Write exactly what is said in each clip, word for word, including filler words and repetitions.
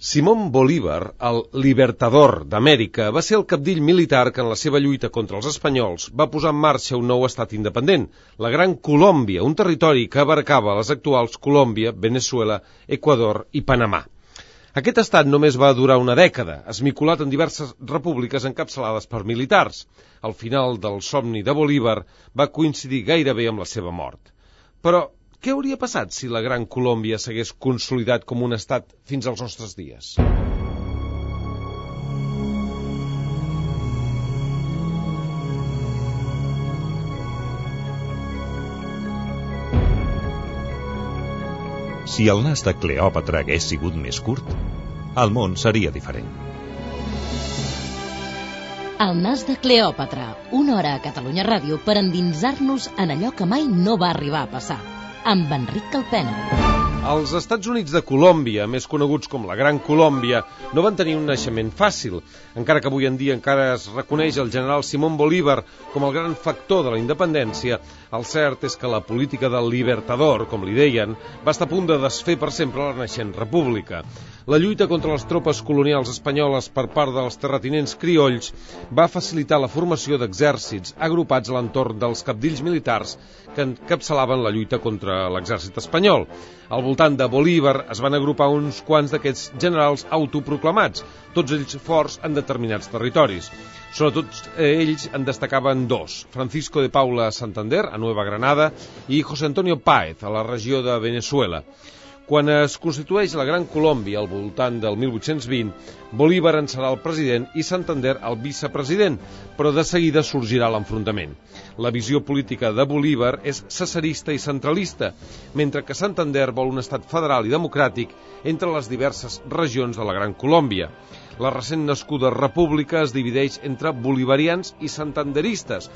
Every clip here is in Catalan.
Simón Bolívar, el Libertador d'Amèrica, va ser el cabdill militar que en la seva lluita contra els espanyols va posar en marxa un nou estat independent, la Gran Colòmbia, un territori que abarcava les actuals Colòmbia, Veneçuela, Equador i Panamà. Aquest estat només va durar una dècada, esmicolat en diverses repúbliques encapçalades per militars. El final del somni de Bolívar va coincidir gairebé amb la seva mort. Però què hauria passat si la Gran Colòmbia s'hagués consolidat com un estat fins als nostres dies? Si el nas de Cleòpatra hagués sigut més curt, el món seria diferent. El nas de Cleòpatra, una hora a Catalunya Ràdio per endinsar-nos en allò que mai no va arribar a passar, amb Enric Calpena. Els Estats Units de Colòmbia, més coneguts com la Gran Colòmbia, no van tenir un naixement fàcil, encara que avui en dia encara es reconeix el general Simón Bolívar com el gran factor de la independència. El cert és que la política del Libertador, com li deien, va estar a punt de desfer per sempre la naixent república. La lluita contra les tropes colonials espanyoles per part dels terratinents criolls va facilitar la formació d'exèrcits agrupats a l'entorn dels cabdills militars que encapçalaven la lluita contra l'exèrcit espanyol. Al voltant de Bolívar es van agrupar uns quants d'aquests generals autoproclamats, tots ells forts en determinats territoris. Sobretot ells en destacaven dos, Francisco de Paula a Santander, a Nueva Granada, i José Antonio Páez, a la regió de Veneçuela. Quan es constitueix la Gran Colòmbia al voltant del mil vuit-cents vint, Bolívar en serà el president i Santander el vicepresident, però de seguida sorgirà l'enfrontament. La visió política de Bolívar és cesarista i centralista, mentre que Santander vol un estat federal i democràtic entre les diverses regions de la Gran Colòmbia. La recent nascuda república es divideix entre bolivarians i santanderistes,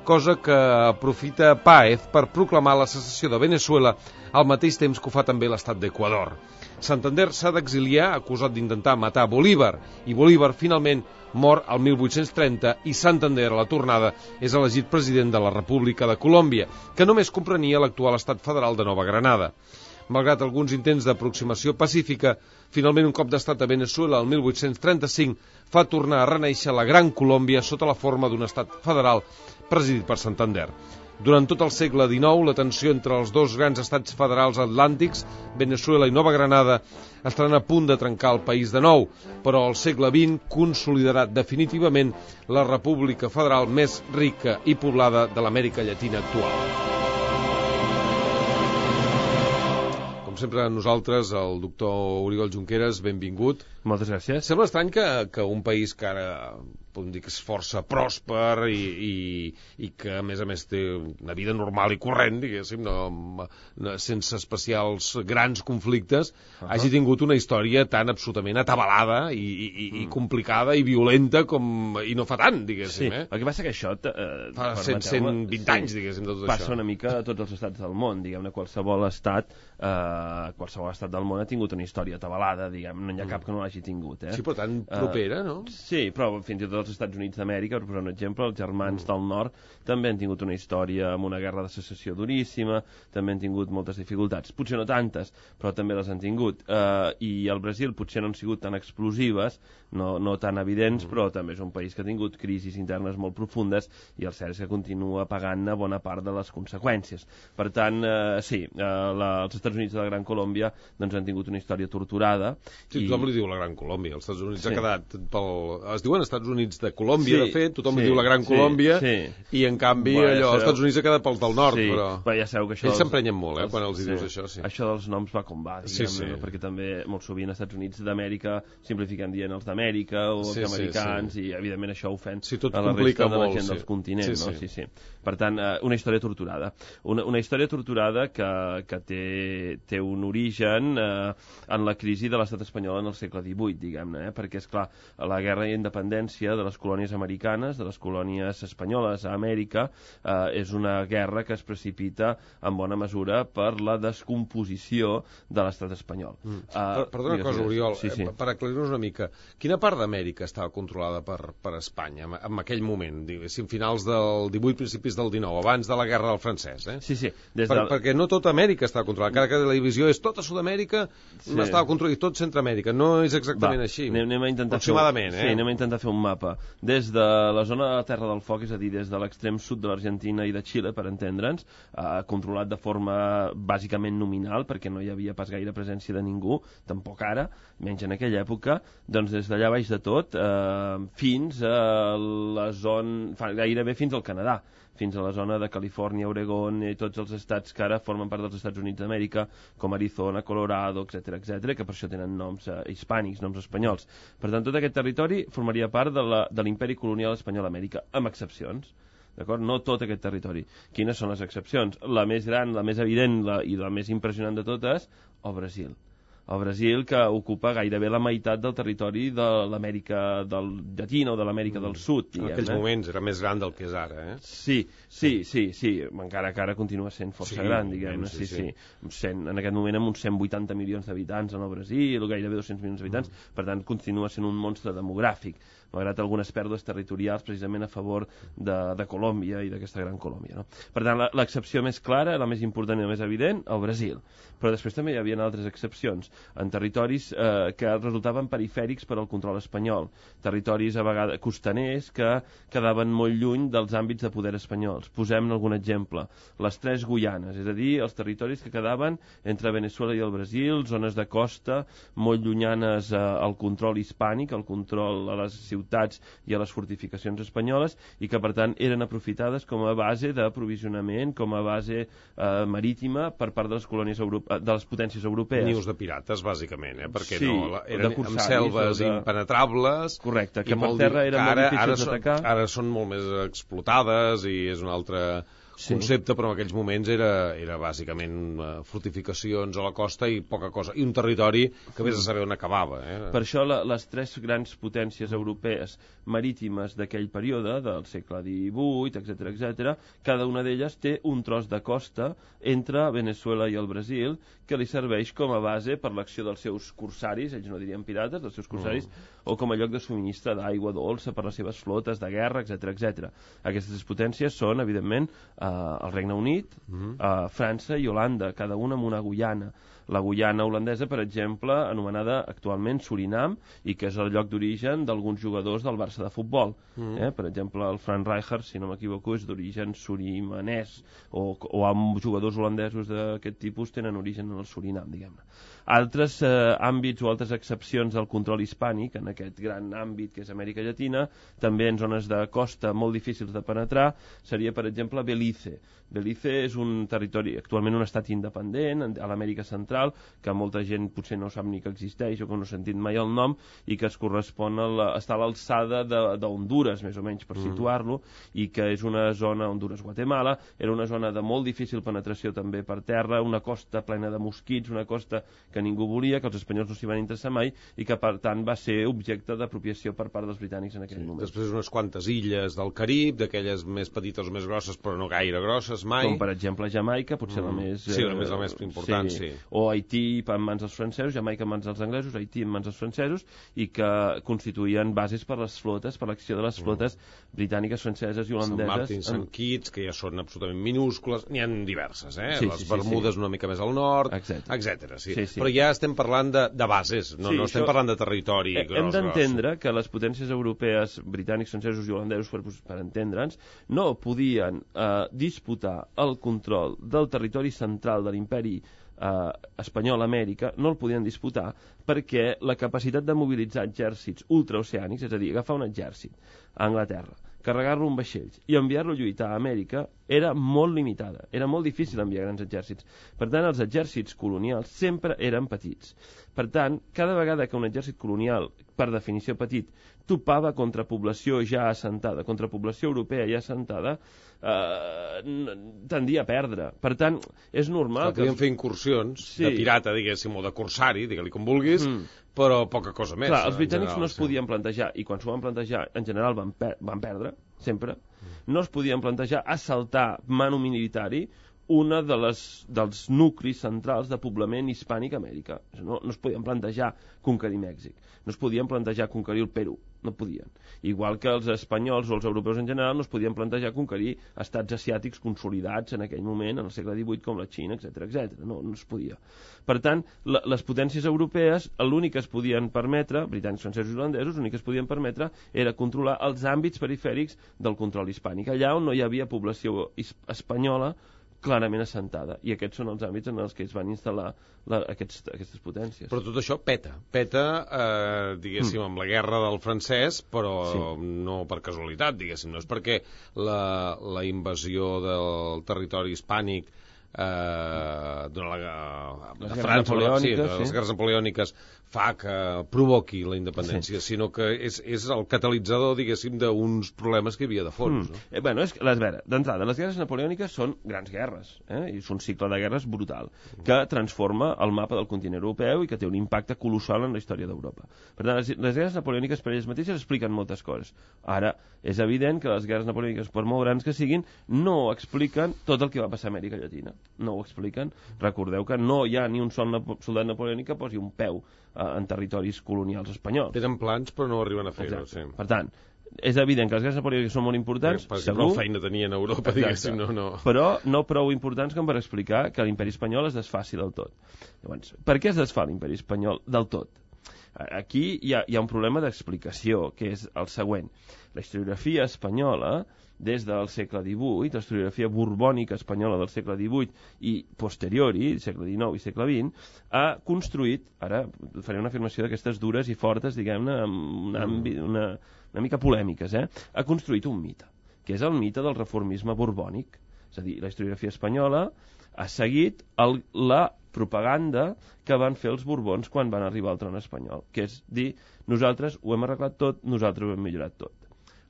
cosa que aprofita Páez per proclamar la secessió de Veneçuela al mateix temps que ho fa també l'estat d'Equador. Santander s'ha d'exiliar acusat d'intentar matar Bolívar, i Bolívar finalment mor al mil vuit-cents trenta i Santander, a la tornada, és elegit president de la República de Colòmbia, que només comprenia l'actual estat federal de Nova Granada. Malgrat alguns intents d'aproximació pacífica, finalment un cop d'estat a Veneçuela el mil vuit-cents trenta-cinc fa tornar a renéixer la Gran Colòmbia sota la forma d'un estat federal presidit per Santander. Durant tot el segle dinou, la tensió entre els dos grans estats federals atlàntics, Veneçuela i Nova Granada, estaran a punt de trencar el país de nou, però el segle vint consolidarà definitivament la república federal més rica i poblada de l'Amèrica Llatina actual. Com sempre, a nosaltres, el doctor Oriol Junqueras, benvingut. Moltes gràcies. Sembla estrany que, que un país que ara podem dir que és força pròsper i, i, i que a més a més té una vida normal i corrent, diguéssim, no, no, sense especials grans conflictes, uh -huh. hagi tingut una història tan absolutament atabalada i, i, i mm. complicada i violenta com, i no fa tant, diguéssim. Sí, eh? el que passa que això eh, fa cent vint sí, anys, diguéssim, de tot passa això. Passa una mica a tots els estats del món, diguem-ne, qualsevol estat eh, qualsevol estat del món ha tingut una història atabalada, diguem, no hi ha cap que no l'hagi tingut. Eh? Sí, però tan propera, uh, no? Sí, però fins i tot els Estats Units d'Amèrica, per posar un exemple, els germans mm. del nord també han tingut una història amb una guerra de secessió duríssima, també han tingut moltes dificultats, potser no tantes, però també les han tingut. Uh, I el Brasil potser no han sigut tan explosives, no, no tan evidents, mm. però també és un país que ha tingut crisis internes molt profundes i el cert és que continua pagant-ne bona part de les conseqüències. Per tant, uh, sí, uh, la, els Estats Units de la Gran Colòmbia doncs, han tingut una història torturada. Sí, i... tothom li diu la Gran Colòmbia, els Estats Units sí. ha quedat pel... Es diuen Estats Units de Colòmbia, sí, de fet, tothom sí, diu la Gran sí, Colòmbia, sí. i en canvi bueno, allò, els Estats Units ha quedat pels del nord, sí, però... però ja sabeu que això ells s'emprenyen molt, eh, els... quan els sí. dius això, sí. Això dels noms va com va, diguem, sí, sí. perquè també molt sovint als Estats Units d'Amèrica simplifiquen dient els d'Amèrica o els sí, americans, sí, sí. i evidentment això ofèn sí, tot a la resta de la molt, gent sí. dels continents, sí, no? sí. Sí, sí. Per tant, una història torturada. Una, una història torturada que, que té, té un origen eh, en la crisi de l'estat espanyol en el segle divuit, diguem-ne, eh? perquè, és clar, la guerra d'independència de les colònies americanes, de les colònies espanyoles a Amèrica, eh, és una guerra que es precipita en bona mesura per la descomposició de l'estat espanyol. Mm. Uh, Perdona una cosa, Oriol, sí, sí. per aclarir-nos una mica, quina part d'Amèrica estava controlada per, per Espanya en, en aquell moment, diguéssim, finals del divuit, principis del dinou, abans de la guerra del francès, eh? Sí, sí. Des per, de... Perquè no tota Amèrica estava controlada, encara que la divisió és tota Sud-amèrica, sí. no estava controlada, i tot Centroamèrica, no és exactament Va, així. Anem, anem a intentar aproximadament, fer, eh? Sí, anem a intentar fer un mapa. Des de la zona de la Terra del Foc, és a dir, des de l'extrem sud de l'Argentina i de Xile, per entendre'ns, eh, controlat de forma bàsicament nominal, perquè no hi havia pas gaire presència de ningú, tampoc ara, menys en aquella època, doncs des d'allà baix de tot, eh, fins a la zona, gairebé fins al Canadà, fins a la zona de Califòrnia, Oregon i tots els estats que ara formen part dels Estats Units d'Amèrica, com Arizona, Colorado, etcètera, etcètera, que per això tenen noms eh, hispànics, noms espanyols. Per tant, tot aquest territori formaria part de l'imperi colonial espanyol a Amèrica, amb excepcions. D'acord? No tot aquest territori. Quines són les excepcions? La més gran, la més evident la, i la més impressionant de totes, el Brasil. El Brasil, que ocupa gairebé la meitat del territori de l'Amèrica del Llatina o de l'Amèrica mm. del Sud. Diguem, en aquells eh? moments era més gran del que és ara, eh? Sí, sí, sí, sí. Encara que ara continua sent força sí, gran, diguem-ne. Sí, sí. sí. cent, en aquest moment amb uns cent vuitanta milions d'habitants en el Brasil, gairebé dos-cents milions d'habitants, mm. per tant continua sent un monstre demogràfic, malgrat algunes pèrdues territorials precisament a favor de, de Colòmbia i d'aquesta gran Colòmbia. No? Per tant, l'excepció més clara, la més important i la més evident, el Brasil. Però després també hi havia altres excepcions en territoris eh, que resultaven perifèrics per al control espanyol, territoris a vegades costaners que quedaven molt lluny dels àmbits de poder espanyols. Posem algun exemple. Les tres Guianes, és a dir, els territoris que quedaven entre Venezuela i el Brasil, zones de costa molt llunyanes eh, al control hispànic, al control a les ciutats i a les fortificacions espanyoles, i que per tant eren aprofitades com a base d'aprovisionament, com a base eh, marítima per part de les colònies europe... de les potències europees. Nius de pirates, bàsicament, eh? Perquè sí, no, eren amb selves de... impenetrables. Correcte, que per terra eren molt difícils d'atacar. Ara són molt més explotades i és un altre... Sí. concepte, però en aquells moments era, era bàsicament uh, fortificacions a la costa i poca cosa, i un territori que vés a saber on acabava. Eh? Per això la, les tres grans potències europees marítimes d'aquell període, del segle divuit, etcètera, etcètera, cada una d'elles té un tros de costa entre Venezuela i el Brasil que li serveix com a base per l'acció dels seus corsaris, ells no dirien pirates, dels seus corsaris, mm. o com a lloc de subministre d'aigua dolça per les seves flotes de guerra, etcètera, etcètera. Aquestes potències són, evidentment, eh, el Regne Unit, mm. eh, França i Holanda, cada una amb una Guyana. La Guyana holandesa, per exemple, anomenada actualment Surinam, i que és el lloc d'origen d'alguns jugadors del Barça de futbol. Mm. Eh? Per exemple, el Frank Rijkaard, si no m'equivoco, és d'origen surimanès, o, o amb jugadors holandesos d'aquest tipus tenen origen en el Surinam, diguem-ne. Altres eh, àmbits o altres excepcions del control hispànic, en aquest gran àmbit que és Amèrica Llatina, també en zones de costa molt difícils de penetrar, seria, per exemple, Belize. Belize és un territori, actualment un estat independent, a l'Amèrica Central, que molta gent potser no sap ni que existeix o que no ha sentit mai el nom, i que es correspon a la, està a l'alçada d'Honduras, més o menys, per mm. situar-lo, i que és una zona, Honduras-Guatemala, era una zona de molt difícil penetració també per terra, una costa plena de mosquits, una costa que ningú volia, que els espanyols no s'hi van interessar mai, i que per tant va ser objecte d'apropiació per part dels britànics en aquell sí, moment. Després unes quantes illes del Carib, d'aquelles més petites o més grosses, però no gaire grosses mai. Com per exemple Jamaica, potser mm. la més... Sí, la més, la més important, sí. sí. O Haití en mans dels francesos, Jamaica en mans dels anglesos, Haití en mans dels francesos, i que constituïen bases per les flotes, per l'acció de les flotes mm. britàniques, franceses i holandeses. Sant Martin, Sant Kitts, que ja són absolutament minúscules, n'hi ha diverses, eh? Sí, les sí, Bermudes sí, sí. una mica més al nord, etcètera. Sí. Sí, sí. Però ja estem parlant de, de bases, no, sí, no estem això, parlant de territori eh, gros. Hem d'entendre que les potències europees, britànics, francesos i holandesos, per, per entendre'ns, no podien eh, disputar el control del territori central de l'imperi eh, espanyol a Amèrica, no el podien disputar perquè la capacitat de mobilitzar exèrcits ultraoceànics, és a dir, agafar un exèrcit a Anglaterra, carregar-lo en vaixells i enviar-lo a lluitar a Amèrica era molt limitada, era molt difícil enviar grans exèrcits. Per tant, els exèrcits colonials sempre eren petits. Per tant, cada vegada que un exèrcit colonial, per definició petit, topava contra població ja assentada, contra població europea ja assentada, eh, tendia a perdre. Per tant, és normal que... Podien fer incursions sí. de pirata, diguéssim, o de corsari, digue-li com vulguis, mm. però poca cosa més. Clar, els britànics general, no es sí. podien plantejar, i quan s'ho van plantejar, en general van, per van perdre, sempre, no es podien plantejar assaltar manu militari una de les, dels nuclis centrals de poblament hispànic a Amèrica. No, no es podien plantejar conquerir Mèxic, no es podien plantejar conquerir el Perú, no podien. Igual que els espanyols o els europeus en general no es podien plantejar conquerir estats asiàtics consolidats en aquell moment, en el segle divuit, com la Xina, etcètera, etcètera. No, no es podia. Per tant, la, les potències europees, l'únic que es podien permetre, britànics, francesos i holandesos, l'únic que es podien permetre era controlar els àmbits perifèrics del control hispànic, allà on no hi havia població espanyola clarament assentada, i aquests són els àmbits en els que es van instal·lar la, aquests, aquestes potències. Però tot això peta, peta, eh, diguéssim, mm. amb la guerra del francès, però sí. no per casualitat, diguéssim, no és perquè la, la invasió del territori hispànic eh, durant la, les de França, sí, de sí. les guerres napoleòniques fa que provoqui la independència, sí. sinó que és, és el catalitzador, diguéssim, d'uns problemes que hi havia de fons. Mm. No? Eh, bueno, és que, les veure, d'entrada, les guerres napoleòniques són grans guerres, eh? I és un cicle de guerres brutal, mm. que transforma el mapa del continent europeu i que té un impacte colossal en la història d'Europa. Per tant, les, les guerres napoleòniques per elles mateixes expliquen moltes coses. Ara, és evident que les guerres napoleòniques, per molt grans que siguin, no expliquen tot el que va passar a Amèrica Llatina. No ho expliquen. Recordeu que no hi ha ni un sol napo soldat napoleònic que posi un peu en territoris colonials espanyols. Tenen plans però no arriben a fer-ho. Sí. Per tant, és evident que les guerres napoleòniques són molt importants, perquè, perquè segur. Prou feina tenien a Europa, diguéssim, no, no. Però no prou importants com per explicar que l'imperi espanyol es desfaci del tot. Llavors, per què es desfà l'imperi espanyol del tot? Aquí hi ha, hi ha un problema d'explicació, que és el següent. La historiografia espanyola, des del segle divuit, la historiografia borbònica espanyola del segle divuit i posteriori, segle dinou i segle vint, ha construït, ara faré una afirmació d'aquestes dures i fortes, diguem-ne, amb una, una, una mica polèmiques, eh? ha construït un mite, que és el mite del reformisme borbònic. És a dir, la historiografia espanyola ha seguit el, la propaganda que van fer els borbons quan van arribar al tron espanyol, que és dir, nosaltres ho hem arreglat tot, nosaltres ho hem millorat tot.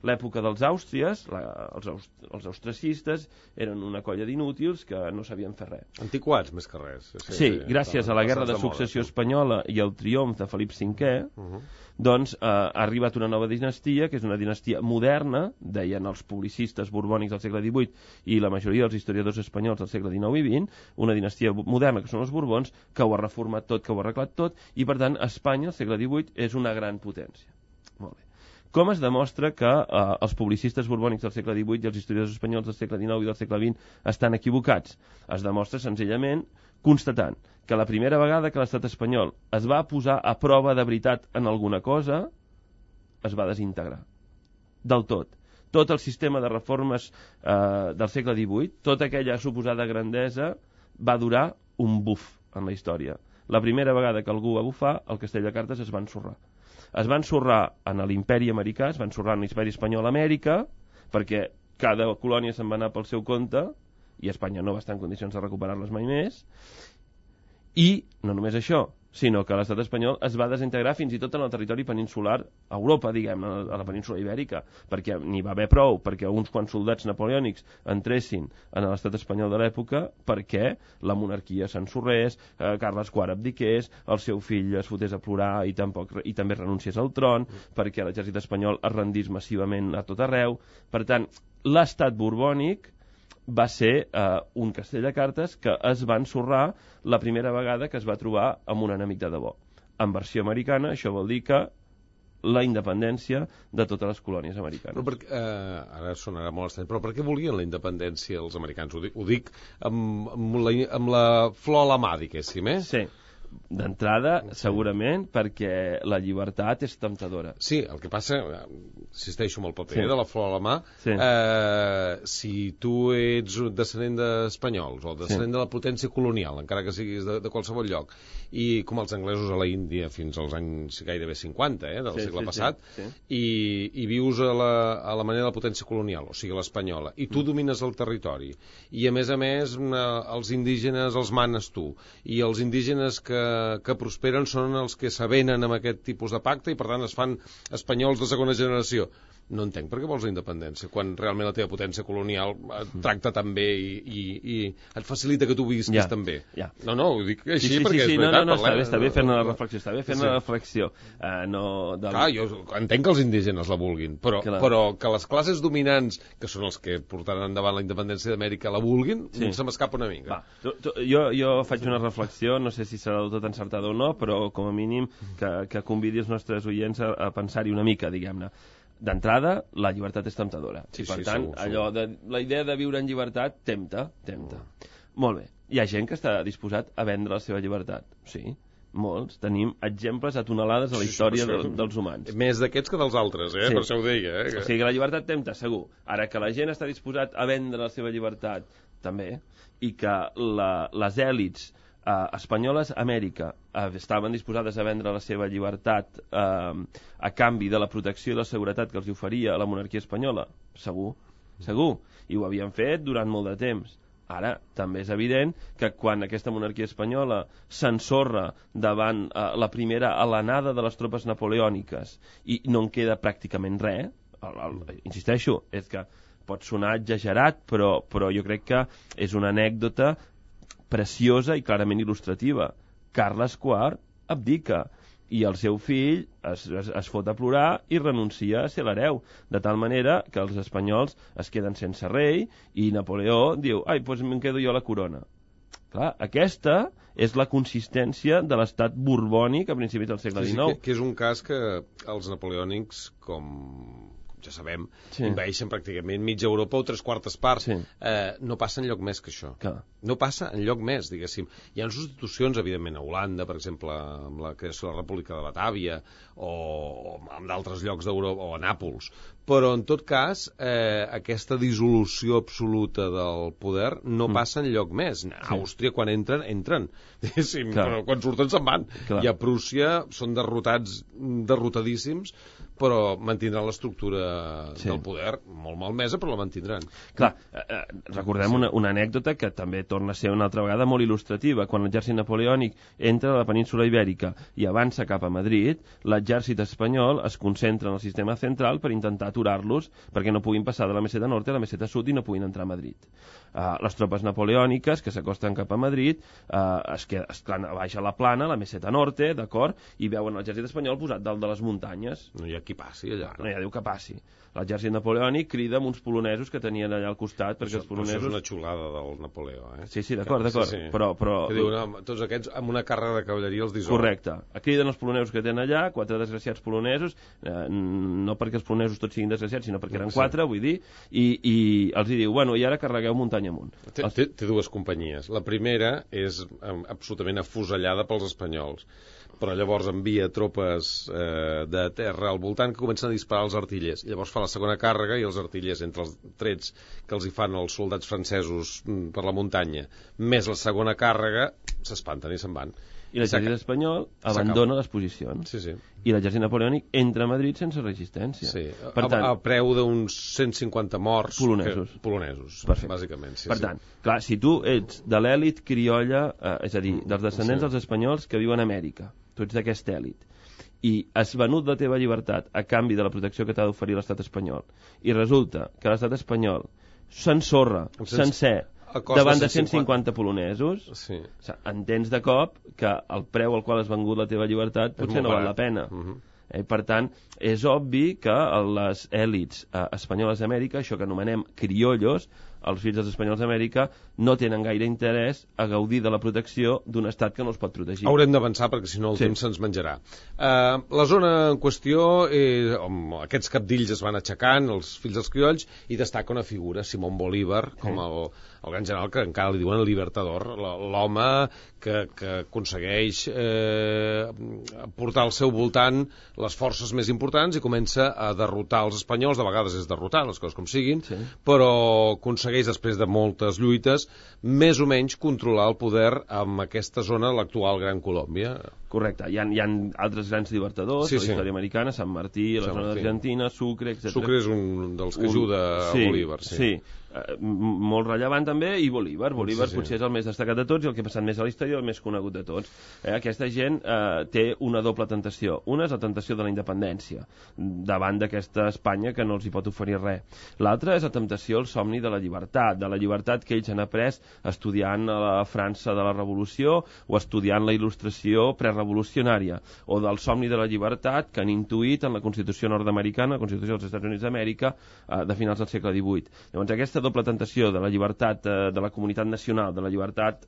L'època dels Àustries, la, els, aust, els austriacistes, eren una colla d'inútils que no sabien fer res. Antiquats, més que res. Sí, sí, sí gràcies a la Guerra de Successió Espanyola i al triomf de Felip cinquè, uh -huh. doncs eh, ha arribat una nova dinastia, que és una dinastia moderna, deien els publicistes borbònics del segle divuit i la majoria dels historiadors espanyols del segle dinou i vint, una dinastia moderna, que són els borbons, que ho ha reformat tot, que ho ha arreglat tot, i per tant Espanya, al segle divuit, és una gran potència. Molt bé. Com es demostra que eh, els publicistes borbònics del segle divuit i els historiadors espanyols del segle dinou i del segle vint estan equivocats? Es demostra senzillament constatant que la primera vegada que l'estat espanyol es va posar a prova de veritat en alguna cosa, es va desintegrar. Del tot. Tot el sistema de reformes eh, del segle divuit, tota aquella suposada grandesa, va durar un buf en la història. La primera vegada que algú va bufar, el castell de cartes es va ensorrar. Es va ensorrar en l'imperi americà, es va ensorrar en l'imperi espanyol a Amèrica, perquè cada colònia se'n va anar pel seu compte, i Espanya no va estar en condicions de recuperar-les mai més, i no només això, sinó que l'estat espanyol es va desintegrar fins i tot en el territori peninsular, a Europa, diguem, a la península ibèrica, perquè n'hi va haver prou, perquè uns quants soldats napoleònics entressin en l'estat espanyol de l'època, perquè la monarquia s'ensorrés, eh, Carles quart abdiqués, el seu fill es fotés a plorar i, tampoc, i també renunciés al tron, perquè l'exèrcit espanyol es rendís massivament a tot arreu. Per tant, l'estat borbònic va ser eh, un castell de cartes que es va ensorrar la primera vegada que es va trobar amb un enemic de debò. En versió americana, això vol dir que la independència de totes les colònies americanes. Però per, eh, ara sonarà molt estrany, però per què volien la independència els americans? Ho dic, ho dic amb, amb, la, amb la flor a la mà, diguéssim, eh? Sí. D'entrada, segurament, perquè la llibertat és temptadora. Sí, el que passa, insisteixo amb el paper sí. de la flor a la mà, sí. eh, si tu ets descendent d'espanyols o descendent sí. de la potència colonial, encara que siguis de, de qualsevol lloc, i com els anglesos a la Índia fins als anys gairebé cinquanta eh, del sí, segle sí, passat, sí, sí. I, i vius a la, a la manera de la potència colonial, o sigui l'espanyola, i tu mm. domines el territori, i a més a més una, els indígenes els manes tu, i els indígenes que que prosperen són els que s'avenen amb aquest tipus de pacte i per tant es fan espanyols de segona generació. no entenc per què vols la independència, quan realment la teva potència colonial et tracta tan bé i, i, i et facilita que tu visquis ja, tan bé. Ja. No, no, ho dic així sí, sí, perquè sí, sí, és veritat. No, no, no, està bé, està bé fer-ne la no, reflexió, està bé fer-ne sí. la reflexió. Uh, no, de... Clar, jo entenc que els indígenes la vulguin, però, però que les classes dominants, que són els que portaran endavant la independència d'Amèrica, la vulguin, sí. se m'escapa una mica. Va, tu, tu, jo, jo faig una reflexió, no sé si serà del tot encertada o no, però com a mínim que, que convidi els nostres oients a, a pensar-hi una mica, diguem-ne. D'entrada, la llibertat és temptadora. Sí, I per sí, tant, segur, allò de, la idea de viure en llibertat tempta, tempta. Mm. Molt bé. Hi ha gent que està disposat a vendre la seva llibertat. Sí, molts. Tenim exemples a tonelades a la història sí, sí, de, dels humans. Més d'aquests que dels altres, eh? Sí. Per això ho deia. Eh? O sigui que la llibertat tempta, segur. Ara que la gent està disposat a vendre la seva llibertat, també, i que la, les èlits Uh, espanyoles a Amèrica uh, estaven disposades a vendre la seva llibertat uh, a canvi de la protecció i la seguretat que els oferia la monarquia espanyola, segur, segur, i ho havien fet durant molt de temps. Ara, també és evident que quan aquesta monarquia espanyola s'ensorra davant uh, la primera alenada de les tropes napoleòniques i no en queda pràcticament res, el, el, insisteixo, és que pot sonar exagerat, però, però jo crec que és una anècdota preciosa i clarament il·lustrativa. Carles quart abdica i el seu fill es, es, es fot a plorar i renuncia a ser l'hereu, de tal manera que els espanyols es queden sense rei i Napoleó diu, ai, doncs me'n quedo jo la corona. Clar, aquesta és la consistència de l'estat borbònic a principis del segle dinou. Sí, sí, que, que és un cas que els napoleònics, com ja sabem, sí. Envaeixen pràcticament mitja Europa o tres quartes parts. Sí. Eh, no passa enlloc més que això. Clar. No passa enlloc més, diguéssim. Hi ha substitucions, evidentment, a Holanda, per exemple, amb la creació de la República de Batàvia, o, o en d'altres llocs d'Europa, o a Nàpols. Però, en tot cas, eh, aquesta dissolució absoluta del poder no mm. passa enlloc més. A sí. Àustria, quan entren, entren. Diguéssim, però quan surten se'n van. Clar. I a Prússia són derrotats, derrotadíssims, però mantindran l'estructura sí. del poder molt malmesa, però la mantindran. Clar, eh, recordem una, una anècdota que també torna a ser una altra vegada molt il·lustrativa. Quan l'exèrcit napoleònic entra a la península Ibèrica i avança cap a Madrid, l'exèrcit espanyol es concentra en el sistema central per intentar aturar-los perquè no puguin passar de la meseta nord a la meseta sud i no puguin entrar a Madrid. Uh, les tropes napoleòniques que s'acosten cap a Madrid uh, es queden, es queden a baix a la plana, la meseta norte, d'acord, i veuen l'exèrcit espanyol posat dalt de les muntanyes. No hi ha qui passi allà. No hi ha Déu que passi. L'exèrcit napoleònic crida amb uns polonesos que tenien allà al costat, perquè això, els polonesos... Això és una xulada del Napoleó, eh? Sí, sí, d'acord, d'acord. Sí, sí. Però, però... Que diu, no, tots aquests amb una càrrega de cavalleria els dissol. Correcte. Criden els polonesos que tenen allà, quatre desgraciats polonesos, eh, no perquè els polonesos tots siguin desgraciats, sinó perquè eren sí. quatre, vull dir, i, i els hi diu, bueno, i ara carregueu muntanya amunt. Té, els... té, té dues companyies. La primera és eh, absolutament afusellada pels espanyols, però llavors envia tropes eh, de terra al voltant que comencen a disparar els artillers. I llavors fa la segona càrrega i els artillers, entre els trets que els hi fan els soldats francesos per la muntanya, més la segona càrrega, s'espanten i se'n van. I l'exèrcit espanyol abandona les posicions. Sí, sí. I l'exèrcit napoleònic entra a Madrid sense resistència. Sí, per tant, a, a preu d'uns cent cinquanta morts. Polonesos. Que, polonesos, perfecte. Bàsicament. Sí, per sí. tant, clar, si tu ets de l'èlit criolla, eh, és a dir, dels descendents sí. dels espanyols que viuen a Amèrica, tu ets d'aquesta èlit, i has venut la teva llibertat a canvi de la protecció que t'ha d'oferir l'estat espanyol, i resulta que l'estat espanyol s'ensorra, sencer, davant de cent cinquanta polonesos, sí. O sigui, entens de cop que el preu al qual has vengut la teva llibertat potser no val la pena. Uh-huh. Eh, per tant, és obvi que les èlits eh, espanyoles d'Amèrica, això que anomenem criollos, els fills dels espanyols d'Amèrica, no tenen gaire interès a gaudir de la protecció d'un estat que no els pot protegir. Haurem d'avançar perquè si no el sí. temps se'ns menjarà. Uh, la zona en qüestió, eh, aquests capdills es van aixecant, els fills dels criolls, i destaca una figura, Simón Bolívar, com sí. el, el gran general que encara li diuen el Libertador, l'home que, que aconsegueix eh, portar al seu voltant les forces més importants i comença a derrotar els espanyols, de vegades és derrotar, les coses com siguin, sí. però aconsegueix aconsegueix, després de moltes lluites, més o menys controlar el poder en aquesta zona, l'actual Gran Colòmbia. Correcte, hi ha, hi ha altres grans llibertadors sí, de la història sí. americana, Sant Martí, la Sant zona d'Argentina, Sucre, etcètera. Sucre és un dels que un... ajuda a sí, Bolívar. Sí, sí. Uh, molt rellevant també, i Bolívar Bolívar sí, sí. potser és el més destacat de tots i el que ha passat més a la història i el més conegut de tots. Eh, aquesta gent eh, té una doble tentació. Una és la tentació de la independència davant d'aquesta Espanya que no els hi pot oferir res. L'altra és la temptació, el somni de la llibertat, de la llibertat que ells han après estudiant a la França de la Revolució o estudiant la il·lustració prerevolucionària, o del somni de la llibertat que han intuït en la Constitució nord-americana, la Constitució dels Estats Units d'Amèrica, eh, de finals del segle divuit. Llavors aquesta doble tentació de la llibertat eh, de la comunitat nacional, de la llibertat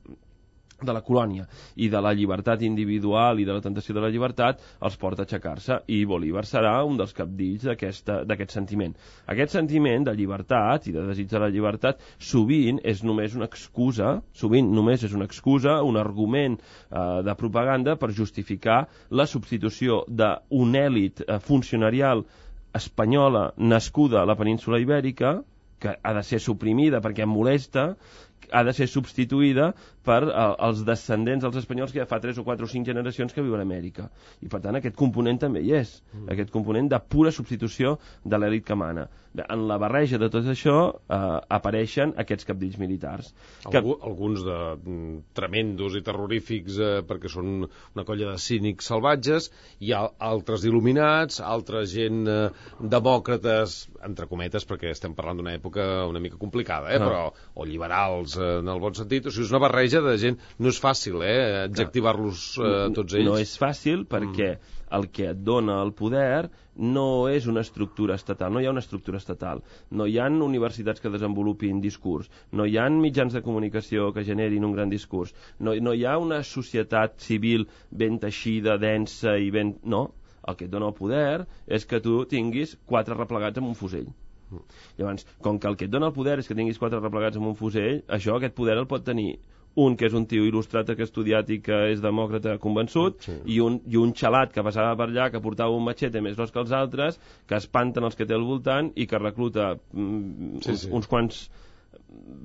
de la colònia i de la llibertat individual i de la tentació de la llibertat els porta a aixecar-se, i Bolívar serà un dels capdills d'aquest sentiment. Aquest sentiment de llibertat i de desig de la llibertat sovint és només una excusa, sovint només és una excusa, un argument eh, de propaganda per justificar la substitució d'una èlit eh, funcionarial espanyola nascuda a la península Ibèrica, que ha de ser suprimida perquè em molesta, ha de ser substituïda per eh, els descendents dels espanyols que ja fa tres o quatre o cinc generacions que viuen a Amèrica. I per tant aquest component també hi és, mm. aquest component de pura substitució de l'èlit que mana. En la barreja de tot això eh, apareixen aquests capdills militars. Que... Algú, alguns de mm, tremendos i terrorífics eh, perquè són una colla de cínics salvatges, hi ha altres il·luminats, altra gent eh, demòcrates, entre cometes, perquè estem parlant d'una època una mica complicada, eh, no. però, o liberals eh, en el bon sentit, o sigui, és una barreja de gent, no és fàcil eh, adjectivar-los eh, tots ells. No és fàcil perquè mm. el que et dona el poder no és una estructura estatal, no hi ha una estructura estatal, no hi ha universitats que desenvolupin discurs, no hi ha mitjans de comunicació que generin un gran discurs, no, no hi ha una societat civil ben teixida, densa i ben... No, el que et dona el poder és que tu tinguis quatre replegats amb un fusell. Mm. Llavors, com que el que et dona el poder és que tinguis quatre replegats amb un fusell, això, aquest poder el pot tenir un que és un tio il·lustrat, que ha estudiat i que és demòcrata convençut, sí. i, un, i un xalat que passava per allà, que portava un matxete més gros que els altres, que espanten els que té al voltant i que recluta mm, sí, uns, sí. uns quants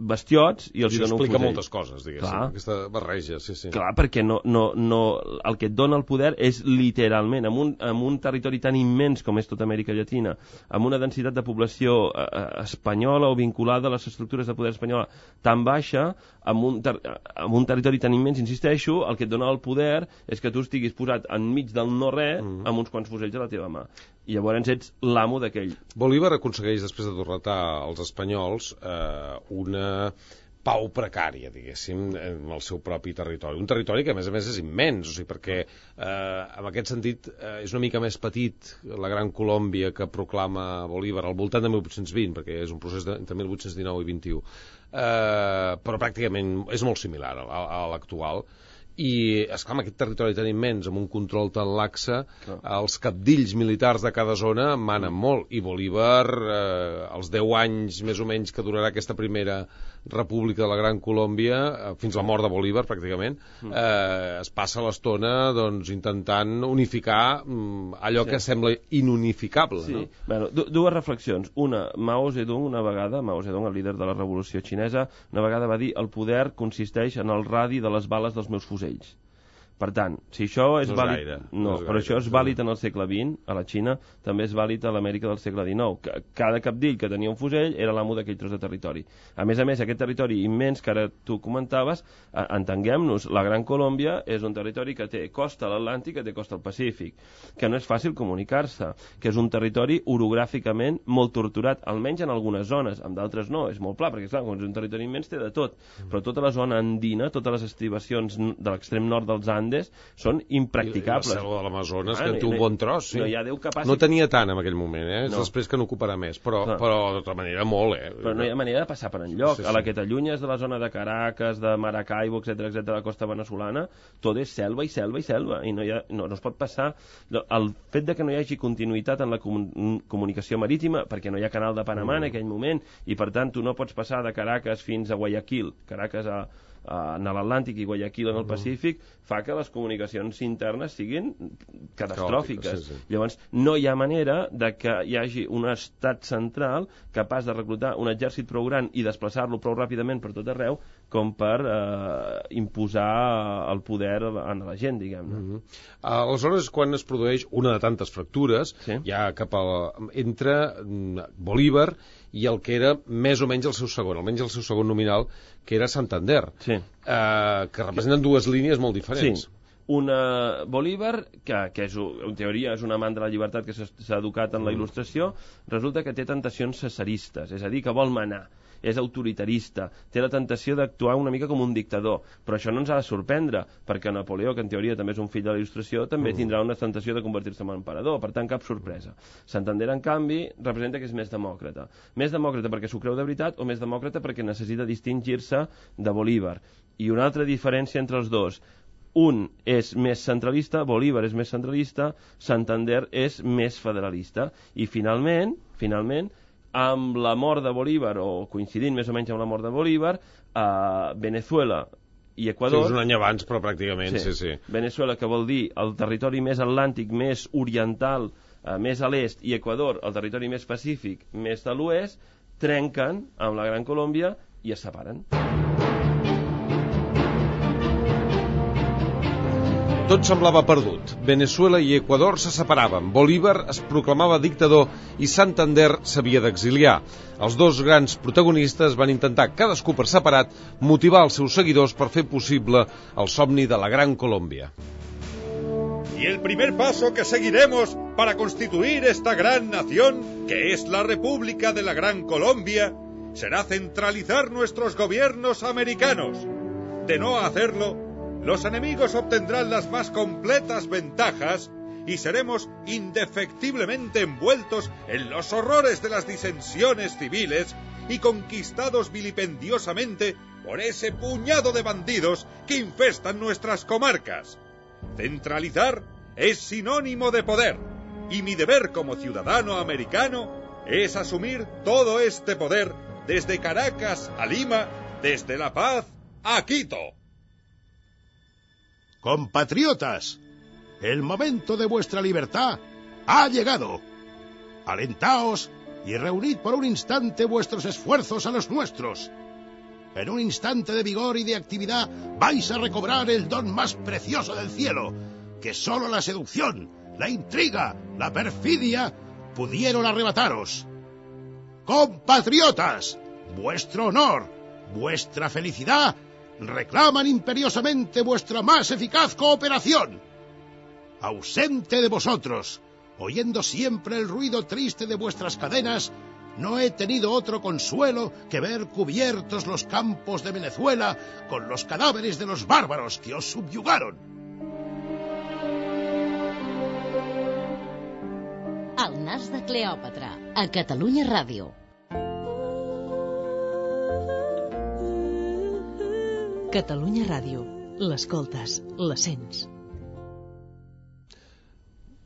bestiots i els I dona un fusell. explica moltes coses, diguéssim, clar. Aquesta barreja, sí, sí. Clar, perquè no, no, no, el que et dona el poder és literalment, en un, en un territori tan immens com és tota Amèrica Llatina, amb una densitat de població eh, espanyola o vinculada a les estructures de poder espanyola tan baixa, amb un, ter amb un territori tan immens, insisteixo, el que et dona el poder és que tu estiguis posat enmig del no-res mm. amb uns quants fusells a la teva mà. I llavors ets l'amo d'aquell. Bolívar aconsegueix, després de derrotar els espanyols, eh, una pau precària, diguéssim, en el seu propi territori. Un territori que, a més a més, és immens, o sigui, perquè, eh, en aquest sentit, eh, és una mica més petit la Gran Colòmbia que proclama Bolívar al voltant de mil vuit-cents vint, perquè és un procés de, entre mil vuit-cents dinou i vint-i-u. Eh, però pràcticament és molt similar a, a l'actual. I, esclar, amb aquest territori tan immens, amb un control tan laxe, ah. els capdills militars de cada zona manen mm. molt, i Bolívar, eh, els deu anys més o menys que durarà aquesta primera república de la Gran Colòmbia, eh, fins la mort de Bolívar, pràcticament, mm. eh, es passa l'estona doncs, intentant unificar mm, allò sí. que sembla inunificable. Sí. No? Bueno, dues reflexions. Una, Mao Zedong, una vegada, Mao Zedong, el líder de la revolució xinesa, una vegada va dir: el poder consisteix en el radi de les bales dels meus fusells. Per tant, si això és, no és vàlid... Gaire, no, no és però gaire, això és vàlid en el segle vint, a la Xina, també és vàlid a l'Amèrica del segle dinou. Cada capdill que tenia un fusell era l'amo d'aquell tros de territori. A més a més, aquest territori immens que ara tu comentaves, entenguem-nos, la Gran Colòmbia és un territori que té costa a l'Atlàntic, que té costa al Pacífic, que no és fàcil comunicar-se, que és un territori orogràficament molt torturat, almenys en algunes zones, en d'altres no, és molt pla, perquè clar, com és un territori immens té de tot, però tota la zona andina, totes les estribacions de l'extrem nord dels Andes són impracticables. I la selva de l'Amazones, ah, que té un bon tros, sí. No, ja Déu que passi... no tenia tant en aquell moment, eh? És no. després que n'ocuparà més, però, no. però de tota manera molt, eh? Però no hi ha manera de passar per enlloc. Sí, sí. A la que t'allunyes de la zona de Caracas, de Maracaibo, etcètera, etcètera, de la costa venezolana, tot és selva i selva i selva, i no, hi ha, no, no es pot passar... El fet de que no hi hagi continuïtat en la comun comunicació marítima, perquè no hi ha canal de Panamà mm. en aquell moment, i per tant tu no pots passar de Caracas fins a Guayaquil, Caracas a en l'Atlàntic i Guayaquil en el Pacífic, fa que les comunicacions internes siguin catastròfiques. Sí, sí. Llavors, no hi ha manera de que hi hagi un estat central capaç de reclutar un exèrcit prou gran i desplaçar-lo prou ràpidament per tot arreu com per eh, imposar el poder a la gent, diguem-ne. Mm-hmm. Aleshores, quan es produeix una de tantes fractures, sí. ja cap a la, entre Bolívar i el que era més o menys el seu segon, almenys el seu segon nominal, que era Santander, sí. eh, que representen dues línies molt diferents. Sí. Una Bolívar, que, que és, en teoria és un amant de la llibertat que s'ha educat en la il·lustració, resulta que té tentacions cesaristes, és a dir, que vol manar, és autoritarista, té la tentació d'actuar una mica com un dictador, però això no ens ha de sorprendre, perquè Napoleó, que en teoria també és un fill de la il·lustració, també tindrà una tentació de convertir-se en emperador, per tant cap sorpresa. Santander, en canvi, representa que és més demòcrata. Més demòcrata perquè s'ho creu de veritat o més demòcrata perquè necessita distingir-se de Bolívar. I una altra diferència entre els dos: un és més centralista, Bolívar és més centralista, Santander és més federalista. I finalment, finalment, amb la mort de Bolívar, o coincidint més o menys amb la mort de Bolívar, a Venezuela i Equador... Sí, és un any abans, però pràcticament, sí, sí. sí. Venezuela, que vol dir el territori més atlàntic, més oriental, eh, més a l'est, i Equador, el territori més pacífic, més de l'oest, trenquen amb la Gran Colòmbia i es separen. Tot semblava perdut. Venezuela i Equador se separaven, Bolívar es proclamava dictador i Santander s'havia d'exiliar. Els dos grans protagonistes van intentar, cadascú per separat, motivar els seus seguidors per fer possible el somni de la Gran Colòmbia. Y el primer paso que seguiremos para constituir esta gran nación, que es la República de la Gran Colombia, será centralizar nuestros gobiernos americanos. De no hacerlo, los enemigos obtendrán las más completas ventajas y seremos indefectiblemente envueltos en los horrores de las disensiones civiles y conquistados vilipendiosamente por ese puñado de bandidos que infestan nuestras comarcas. Centralizar es sinónimo de poder, y mi deber como ciudadano americano es asumir todo este poder desde Caracas a Lima, desde La Paz a Quito. Compatriotas, el momento de vuestra libertad ha llegado. Alentaos y reunid por un instante vuestros esfuerzos a los nuestros. En un instante de vigor y de actividad vais a recobrar el don más precioso del cielo, que solo la seducción, la intriga, la perfidia pudieron arrebataros. Compatriotas, vuestro honor, vuestra felicidad reclaman imperiosamente vuestra más eficaz cooperación. Ausente de vosotros, oyendo siempre el ruido triste de vuestras cadenas, no he tenido otro consuelo que ver cubiertos los campos de Venezuela con los cadáveres de los bárbaros que os subyugaron. El nas de Cleòpatra, a Catalunya Ràdio. Catalunya Ràdio. L'escoltes, la sents.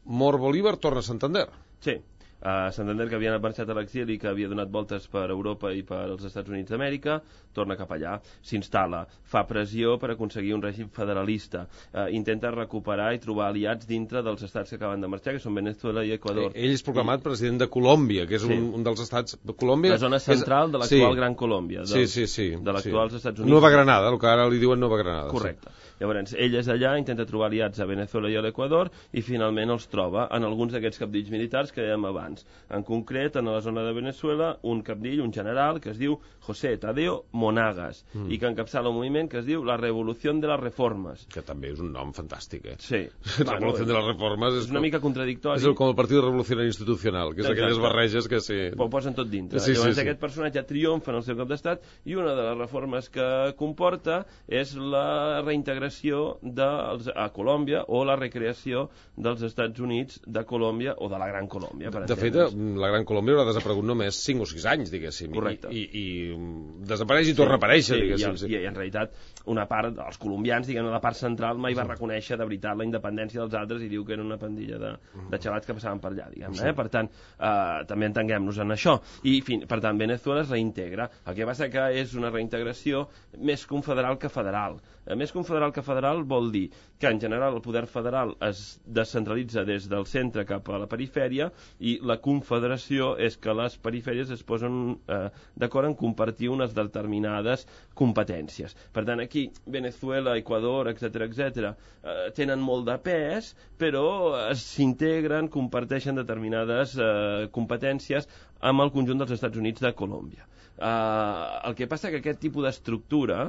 Mor Bolívar, torna a Santander. Sí. Uh, Santander, que havia marxat a l'exili, que havia donat voltes per Europa i per als Estats Units d'Amèrica, torna cap allà, s'instal·la, fa pressió per aconseguir un règim federalista, uh, intenta recuperar i trobar aliats dintre dels estats que acaben de marxar, que són Venezuela i Equador. Eh, ell és proclamat I... president de Colòmbia, que és sí. un, un dels estats... Colòmbia la zona central és... de l'actual sí. Gran Colòmbia, dels, sí, sí, sí, de l'actuals sí. Estats Units. Nova Granada, el que ara li diuen Nova Granada. Correcte. Sí. Llavors, ell és allà, intenta trobar aliats a Venezuela i a l'Equador i finalment els troba en alguns d'aquests cabdills militars que dèiem abans. En concret, en la zona de Venezuela, un cabdill, un general, que es diu José Tadeo Monagas, mm. i que encapçala un moviment que es diu la Revolució de les Reformes. Que també és un nom fantàstic, eh? Sí. La Revolució de les Reformes és, és una mica contradictori. És com el Partit Revolucionari Institucional, que és Exacte. Aquelles barreges que sí... Ho posen tot dintre. Sí, Llavors sí, sí. aquest personatge triomfa en el seu cap d'estat i una de les reformes que comporta és la reintegració de, a Colòmbia o la recreació dels Estats Units de Colòmbia o de la Gran Colòmbia, per De fet, la Gran Colòmbia haurà desaparegut només cinc o sis anys, diguéssim. Correcte. I, i, i desapareix i torna a aparèixer, sí, diguéssim. I, i, i en realitat, una part, els colombians, diguem, la part central mai va reconèixer de veritat la independència dels altres i diu que era una pandilla de, de xavats que passaven per allà, diguem, eh? Per tant, eh, també entenguem-nos en això. I, fi, per tant, Venezuela es reintegra. El que passa que és una reintegració més confederal que federal. Eh, més confederal que federal vol dir que, en general, el poder federal es descentralitza des del centre cap a la perifèria i la confederació és que les perifèries es posen eh, d'acord en compartir unes determinades competències. Per tant, aquí, Venezuela, Equador, etcètera, etcètera, eh, tenen molt de pes, però s'integren, comparteixen determinades eh, competències amb el conjunt dels Estats Units de Colòmbia. Eh, el que passa que aquest tipus d'estructura,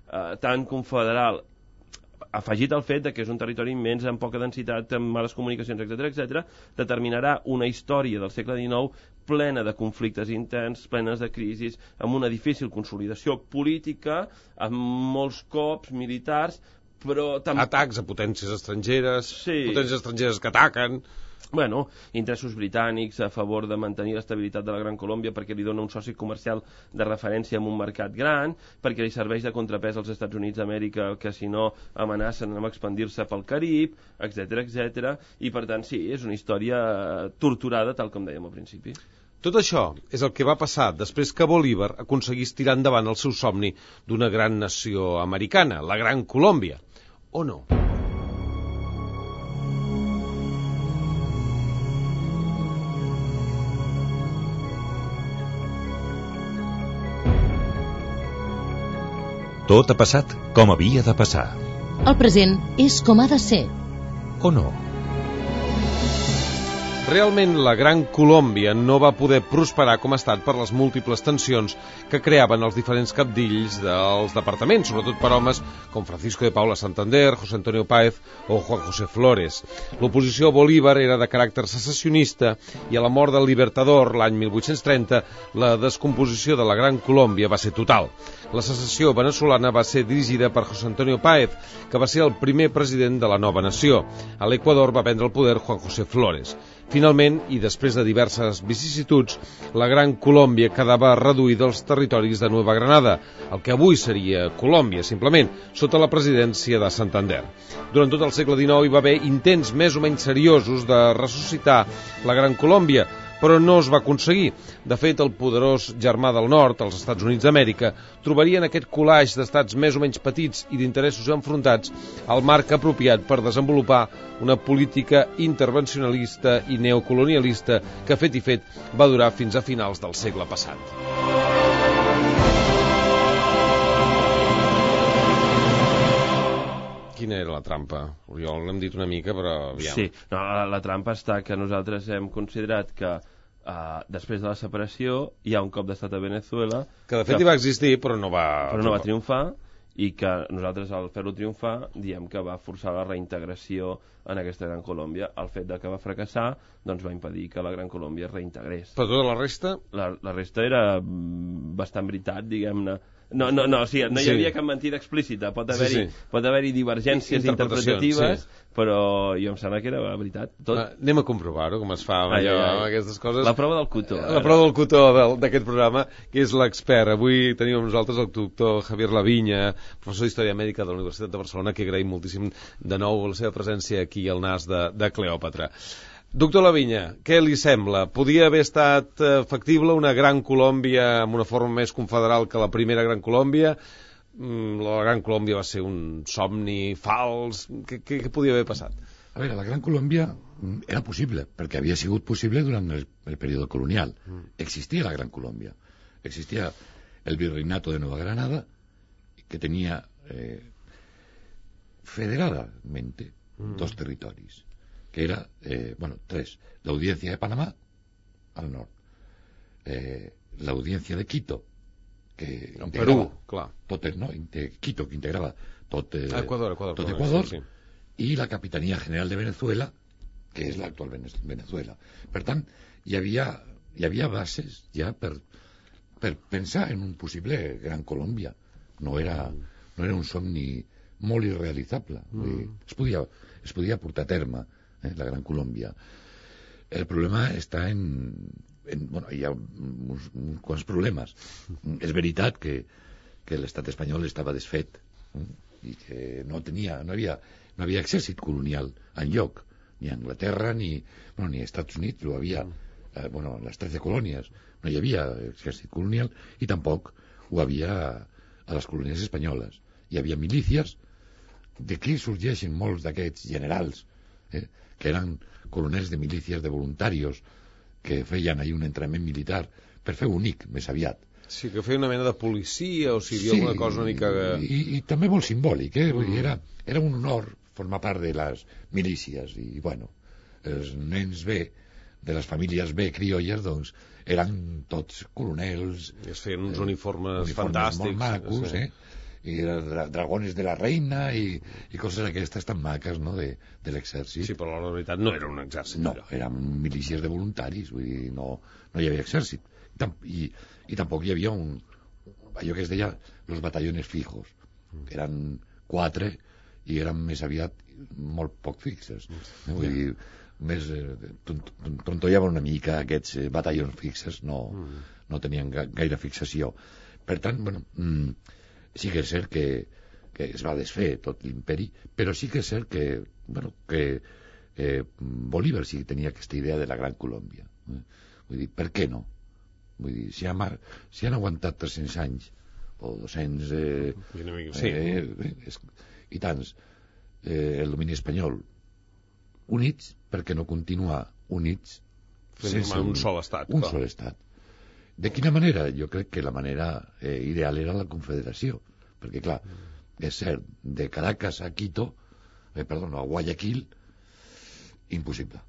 eh, tan confederal, afegit al fet de que és un territori immens, amb poca densitat, amb males comunicacions, etcètera, etcètera, determinarà una història del segle dinou plena de conflictes interns, plenes de crisis, amb una difícil consolidació política, amb molts cops militars, però també... Atacs a potències estrangeres, sí. potències estrangeres que ataquen... Bueno, interessos britànics a favor de mantenir l'estabilitat de la Gran Colòmbia perquè li dona un soci comercial de referència en un mercat gran, perquè li serveix de contrapès als Estats Units d'Amèrica que si no amenacen amb expandir-se pel Carib, etcètera, etcètera, i per tant sí, és una història torturada tal com dèiem al principi. Tot això és el que va passar després que Bolívar aconseguís tirar endavant el seu somni d'una gran nació americana, la Gran Colòmbia. O no? Tot ha passat com havia de passar. El present és com ha de ser. O no? Realment, la Gran Colòmbia no va poder prosperar com a estat per les múltiples tensions que creaven els diferents capdills dels departaments, sobretot per homes com Francisco de Paula Santander, José Antonio Páez o Juan José Flores. L'oposició a Bolívar era de caràcter secessionista i a la mort del Libertador l'any mil vuit-cents trenta la descomposició de la Gran Colòmbia va ser total. La secessió venezolana va ser dirigida per José Antonio Páez, que va ser el primer president de la nova nació. A l'Equador va prendre el poder Juan José Flores. Finalment, i després de diverses vicissituds, la Gran Colòmbia quedava reduïda als territoris de Nueva Granada, el que avui seria Colòmbia, simplement, sota la presidència de Santander. Durant tot el segle dinou hi va haver intents més o menys seriosos de ressuscitar la Gran Colòmbia, però no es va aconseguir. De fet, el poderós germà del nord, els Estats Units d'Amèrica, trobaria en aquest colaix d'estats més o menys petits i d'interessos enfrontats el marc apropiat per desenvolupar una política intervencionalista i neocolonialista que, fet i fet, va durar fins a finals del segle passat. Quina era la trampa? Oriol, l'hem dit una mica, però aviam. Sí, no, la, la trampa està que nosaltres hem considerat que uh, després de la separació hi ha un cop d'estat a Venezuela... Que de fet que, hi va existir, però no va... Però no va triomfar, i que nosaltres al fer-lo triomfar diem que va forçar la reintegració en aquesta Gran Colòmbia. El fet de que va fracassar doncs va impedir que la Gran Colòmbia es reintegrés. Però tota la resta? La, la resta era bastant veritat, diguem-ne. No, no, no, o sigui, no hi havia sí. cap mentida explícita, pot haver-hi sí, sí. pot haver-hi divergències interpretatives, sí. però jo em sembla que era veritat. Tot. Va, anem a comprovar-ho, com es fa amb, ai, allò, ai, ai. aquestes coses. La prova del cotó. La prova del cotó d'aquest programa, que és l'expert. Avui tenim amb nosaltres el doctor Javier Laviña, professor d'Història Mèdica de la Universitat de Barcelona, que agraïm moltíssim de nou la seva presència aquí al Nas de, de Cleòpatra. Doctor Laviña, què li sembla? Podia haver estat factible una Gran Colòmbia amb una forma més confederal que la primera Gran Colòmbia? La Gran Colòmbia va ser un somni fals? Què, què, què podia haver passat? A veure, la Gran Colòmbia era possible, perquè havia sigut possible durant el, el període colonial. Mm. Existia la Gran Colòmbia. Existia el virreinato de Nueva Granada, que tenia eh, federadamente mm. dos territoris, que era, eh, bueno, tres. La Audiencia de Panamá, al nord. Eh, la Audiencia de Quito, que en Perú, clar. Tot el, no, Quito, que integrava tot, eh, Ecuador, Ecuador, tot Ecuador, sí, sí. I la Capitanía General de Venezuela, que és l'actual Venezuela. Per tant, hi havia, hi havia bases ja per, per pensar en un possible Gran Colòmbia. No era, no era un somni molt irrealitzable. Mm. Es podia, es podia portar a terme, eh, la Gran Colòmbia. el problema està en... en bueno, hi ha uns, uns quants problemes. És veritat que, que l'estat espanyol estava desfet i que no tenia, no havia, no havia exèrcit colonial enlloc, ni a Anglaterra ni, bueno, ni als Estats Units, ho havia, eh, bueno, les tretze colònies, no hi havia exèrcit colonial i tampoc ho havia a les colònies espanyoles. Hi havia milícies, d'aquí sorgeixen molts d'aquests generals, eh, que eren coronels de milícies, de voluntarios, que feien ahir un entrenament militar per fer únic, més aviat. Sí, que feia una mena de policia, o sigui, sí, alguna cosa una mica... I, i també molt simbòlic, eh? Vull dir, era, era un honor formar part de les milícies, i, bueno, els nens bé, de les famílies bé criolles, doncs, eren tots coronels... I es feien uns uniformes, uniformes fantàstics. Molt macos, sí. eh? I dra dragones de la reina i, i coses aquestes tan maques, no?, de, de l'exèrcit. Sí, però la veritat no era un exèrcit. No, eren milícies de voluntaris, vull dir, no, no hi havia exèrcit. I, i tampoc hi havia un, allò que es deia los batallones fijos, que eren quatre i eren més aviat molt poc fixes. Eh? Vull dir, més eh, trontollaven una mica aquests eh, batallons fixes, no, no tenien ga gaire fixació. Per tant, bueno... Mm, sí que és cert que, que es va desfer tot l'imperi, però sí que és cert que, bueno, que eh, Bolívar sí que tenia aquesta idea de la Gran Colòmbia. Eh? Vull dir, per què no? Vull dir, si han, si han aguantat tres-cents anys, o dos-cents... Eh, sí. eh, eh, i tants, eh, el domini espanyol, units, per què no continuar units sense un, un sol estat? Un clar. sol estat. De quina manera? Jo crec que la manera eh, ideal era la confederació, perquè clar, és cert, de Caracas a Quito, eh, perdó, a Guayaquil, impossible.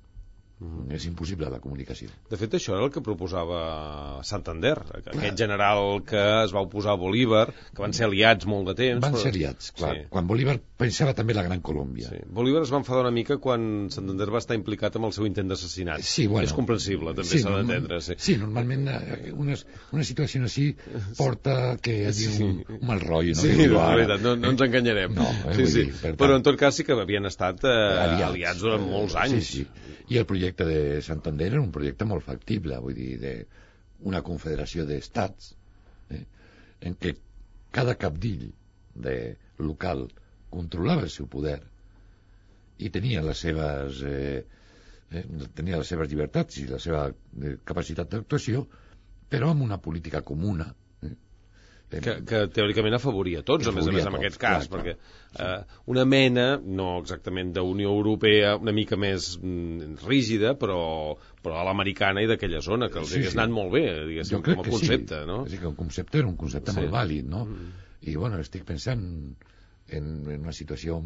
Mm. És impossible la comunicació. De fet, això era el que proposava Santander, aquest general que es va oposar a Bolívar, que van ser aliats molt de temps. Van però... ser aliats, clar. Sí. Quan Bolívar pensava també la Gran Colòmbia. Sí. Bolívar es va enfadar una mica quan Santander va estar implicat amb el seu intent d'assassinat. Sí, bueno, és comprensible, també sí, s'ha d'entendre. Sí. sí, normalment una, una situació així porta que hi hagi sí. un, un mal rotllo. No? Sí, de veritat, no, no ens enganyarem. No, eh, sí, sí. Dir, per però en tot cas sí que havien estat eh, aliats. aliats durant molts anys. Sí, sí. I el projecte de Santander era un projecte molt factible, vull dir, de una confederació d'estats, eh, en què cada capdill de local controlava el seu poder i tenia les seves eh, eh, tenia les seves llibertats i la seva eh, capacitat d'actuació, però amb una política comuna. Eh, que, que teòricament afavoria tots, a més a més, en aquest cas, clar, perquè clar. Eh, una mena, no exactament d'Unió Europea, una mica més mm, rígida, però, però a l'americana i d'aquella zona, que els sí, hagués sí. anat molt bé, diguéssim, com a concepte, sí. no? Sí, que el concepte era un concepte sí. molt vàlid, no? Mm. I, bueno, estic pensant en, en una situació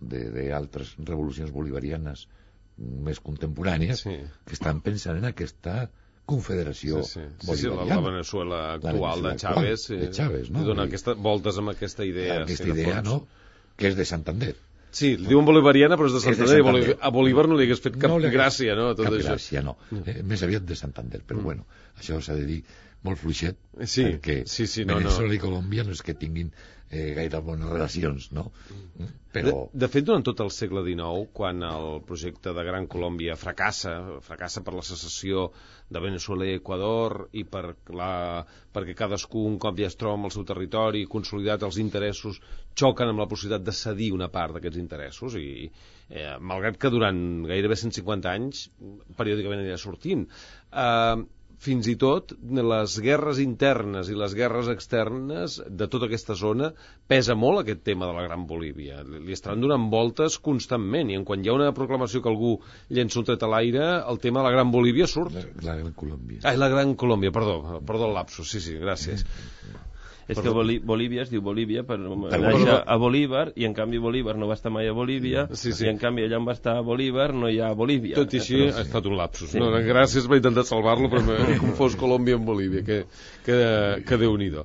d'altres revolucions bolivarianes més contemporànies sí. que estan pensant en aquesta confederació sí, sí. Sí, sí, la, la Venezuela actual la Venezuela de Chávez, actual, de Chávez no? i dona aquesta, voltes amb aquesta idea aquesta sí, idea, no? Que és de Santander. Sí, li diuen bolivariana però és de Santander, és de Santander. A Bolívar no li hagués fet cap no gràcia, no? Tot cap això. gràcia, no, eh, més aviat de Santander, però mm. bueno, això s'ha de dir molt fluixet, sí, perquè sí, sí, no, Venezuela no. i Colòmbia no és que tinguin eh, gaire bones relacions, no? Però... De, de fet, durant tot el segle dinou, quan el projecte de Gran Colòmbia fracassa, fracassa per la secessió de Venezuela i Equador i per la, perquè cadascú un cop ja es troba amb el seu territori consolidat, els interessos xoquen amb la possibilitat de cedir una part d'aquests interessos i eh, malgrat que durant gairebé cent cinquanta anys periòdicament anirà sortint eh, fins i tot les guerres internes i les guerres externes de tota aquesta zona pesa molt aquest tema de la Gran Bolívia. Li estaran donant voltes constantment i en quan hi ha una proclamació que algú llença un tret a l'aire, el tema de la Gran Bolívia surt. La, la Gran Colòmbia. Ai, la Gran Colòmbia, perdó, perdó el lapsus, sí, sí, gràcies. És que Bolí Bolívia es diu Bolívia per anar a Bolívar i en canvi Bolívar no va estar mai a Bolívia sí, sí. i en canvi allà on va estar a Bolívar no hi ha Bolívia. Tot i així ha estat un lapsus. Sí. No, gràcies per intentar salvar-lo però m'he confós Colòmbia amb Bolívia que, que, que Déu-n'hi-do.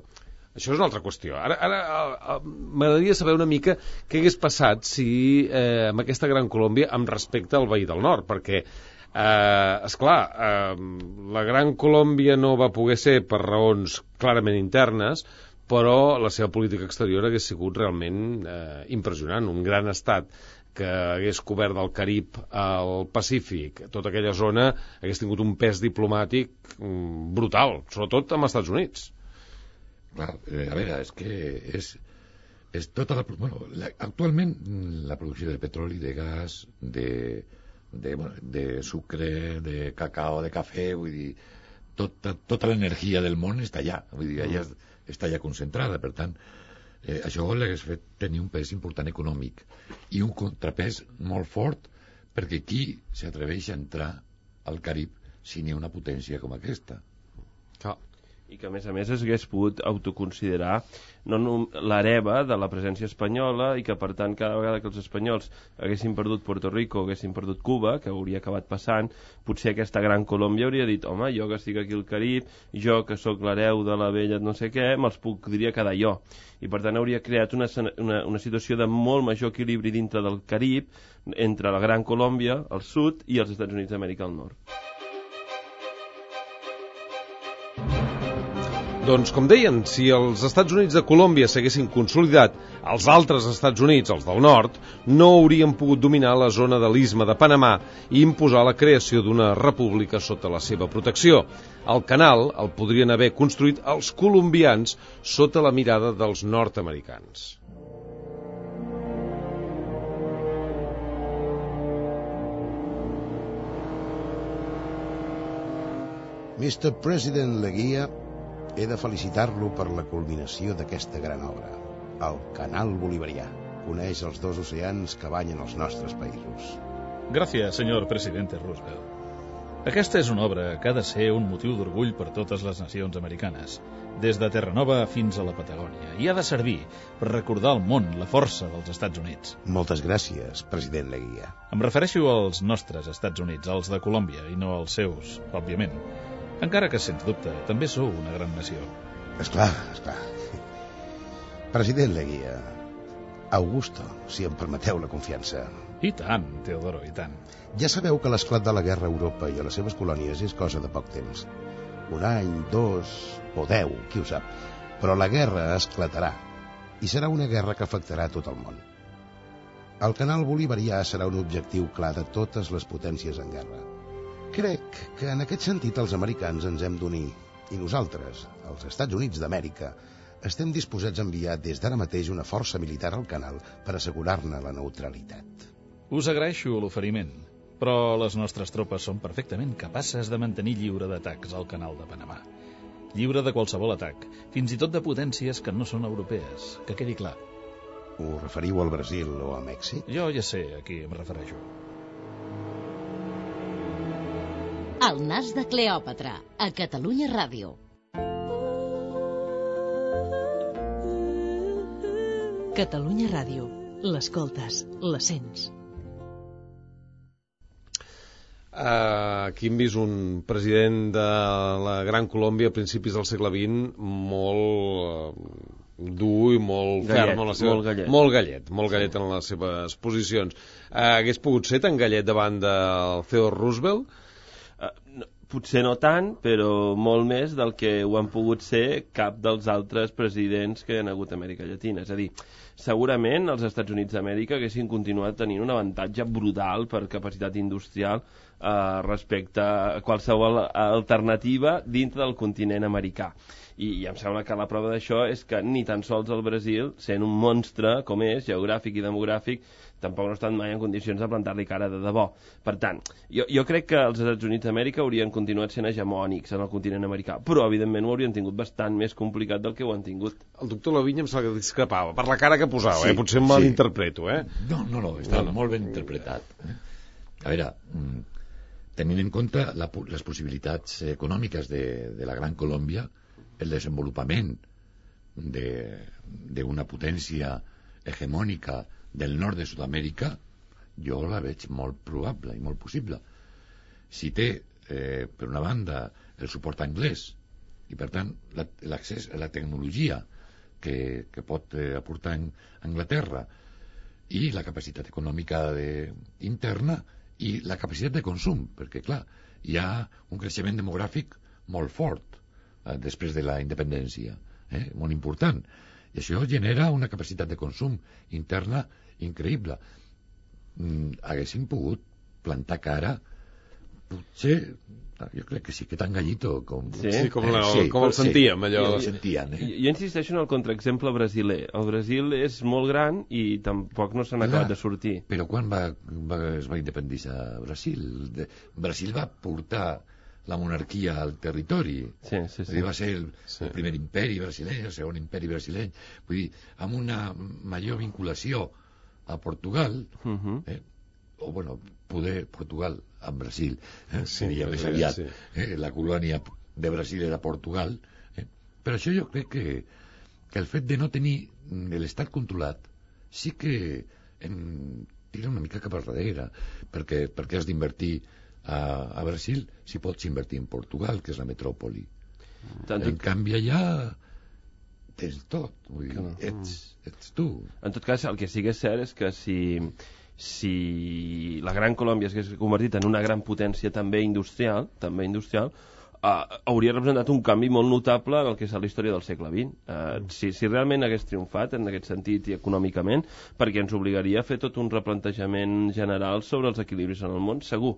Això és una altra qüestió. Ara, ara m'agradaria saber una mica què hagués passat si eh, amb aquesta Gran Colòmbia amb respecte al veí del nord, perquè eh, esclar, eh, la Gran Colòmbia no va poder ser per raons clarament internes, però la seva política exterior hagués sigut realment eh, impressionant, un gran estat que hagués cobert del Carib al Pacífic, tota aquella zona hagués tingut un pes diplomàtic brutal, sobretot amb els Estats Units. Clar, eh, a veure, és que és, és tota la... Bueno, la, actualment la producció de petroli, de gas, de, de, bueno, de sucre, de cacao, de cafè, vull dir, tota, tota l'energia del món està allà, vull dir, allà està allà concentrada, per tant, eh, això l'hagués fet tenir un pes important econòmic i un contrapès molt fort, perquè qui s'atreveix a entrar al Carib si n'hi ha una potència com aquesta? Clar. I que a més a més es hagués pogut autoconsiderar no, no, l'hereva de la presència espanyola, i que per tant cada vegada que els espanyols haguessin perdut Puerto Rico o haguessin perdut Cuba, que hauria acabat passant, potser aquesta gran Colòmbia hauria dit, home, jo que estic aquí al Carib, jo que sóc l'hereu de la vella no sé què, me'ls podria quedar jo. I per tant hauria creat una, una, una situació de molt major equilibri dintre del Carib entre la gran Colòmbia al sud i els Estats Units d'Amèrica al nord. Doncs, com deien, si els Estats Units de Colòmbia s'haguessin consolidat, els altres Estats Units, els del nord, no haurien pogut dominar la zona de l'Istme de Panamà i imposar la creació d'una república sota la seva protecció. El canal el podrien haver construït els colombians sota la mirada dels nord-americans. mister President Leguía, he de felicitar-lo per la culminació d'aquesta gran obra, el Canal Bolivarià. Coneix els dos oceans que banyen els nostres països. Gràcies, senyor presidente Roosevelt. Aquesta és una obra que ha de ser un motiu d'orgull per totes les nacions americanes, des de Terranova fins a la Patagònia, i ha de servir per recordar al món la força dels Estats Units. Moltes gràcies, president Leguía. Em refereixo als nostres Estats Units, als de Colòmbia, i no als seus, òbviament. Encara que, sens dubte, també sou una gran nació. Esclar, esclar. President Leguía, Augusto, si em permeteu la confiança. I tant, Teodoro, i tant. Ja sabeu que l'esclat de la guerra a Europa i a les seves colònies és cosa de poc temps. Un any, dos o deu, qui ho sap. Però la guerra esclatarà, i serà una guerra que afectarà tot el món. El canal bolivarià serà un objectiu clar de totes les potències en guerra. Crec que en aquest sentit els americans ens hem d'unir, i nosaltres, els Estats Units d'Amèrica, estem disposats a enviar des d'ara mateix una força militar al canal per assegurar-ne la neutralitat. Us agraeixo l'oferiment, però les nostres tropes són perfectament capaces de mantenir lliure d'atacs al canal de Panamà. Lliure de qualsevol atac, fins i tot de potències que no són europees, que quedi clar. Ho referiu al Brasil o a Mèxic? Jo ja sé a qui em refereixo. El nas de Cleòpatra, a Catalunya Ràdio. Catalunya Ràdio. L'escoltes, la sents. Uh, aquí hem vist un president de la Gran Colòmbia a principis del segle vint molt uh, dur i molt gallet, ferm en la seva... molt gallet. molt gallet, molt gallet en les seves posicions. Uh, hagués pogut ser tan gallet davant del Theodore Roosevelt? Uh, no, potser no tant, però molt més del que ho han pogut ser cap dels altres presidents que hi ha hagut a Amèrica Llatina. És a dir, segurament els Estats Units d'Amèrica haguessin continuat tenint un avantatge brutal per capacitat industrial eh, respecte a qualsevol alternativa dintre del continent americà. I, i em sembla que la prova d'això és que ni tan sols el Brasil, sent un monstre com és, geogràfic i demogràfic, tampoc no estan mai en condicions de plantar-li cara de debò. Per tant, jo, jo crec que els Estats Units d'Amèrica haurien continuat sent hegemònics en el continent americà, però evidentment ho haurien tingut bastant més complicat del que ho han tingut. El doctor Lavinya em sembla que discrepava, per la cara que posava, sí, eh? Potser em sí. malinterpreto, eh? No, no, no, està no. molt ben interpretat. Eh? A veure, tenint en compte la, les possibilitats econòmiques de, de la Gran Colòmbia, el desenvolupament d'una potència hegemònica del nord de Sud-amèrica, jo la veig molt probable i molt possible. Si té, eh, per una banda, el suport anglès i, per tant, l'accés a la tecnologia que, que pot eh, aportar en Anglaterra i la capacitat econòmica de, interna i la capacitat de consum, perquè, clar, hi ha un creixement demogràfic molt fort eh, després de la independència, eh, molt important. I això genera una capacitat de consum interna increïble. mm, haguessin pogut plantar cara, potser, jo crec que sí que tan gallito com... Sí, sí com, la, sí, com el sentíem, allò. Sí, el sentien, eh? Jo, jo insisteixo en el contraexemple brasiler. El Brasil és molt gran i tampoc no se n'ha acabat de sortir. Però quan va, va, es va independitzar Brasil? De, Brasil va portar la monarquia al territori. Sí, sí, sí. Va ser el, sí. el primer imperi brasileny, el segon imperi brasileny. Vull dir, amb una major vinculació a Portugal, uh -huh. eh, o, bueno, poder Portugal amb Brasil, eh, sí, seria més aviat. Sí. Eh, la colònia de Brasil era Portugal. Eh. Però això jo crec que, que el fet de no tenir l'estat controlat sí que em tira una mica cap al darrere, perquè, perquè has d'invertir a, a Brasil si pots invertir en Portugal, que és la metròpoli. Tant en canvi allà tens tot, vull dir, no. ets, ets tu. En tot cas, el que sí que és cert és que si, si la Gran Colòmbia s'hagués convertit en una gran potència també industrial, també industrial, Uh, hauria representat un canvi molt notable en el que és la història del segle vint. Uh, si, si realment hagués triomfat en aquest sentit i econòmicament, perquè ens obligaria a fer tot un replantejament general sobre els equilibris en el món, segur.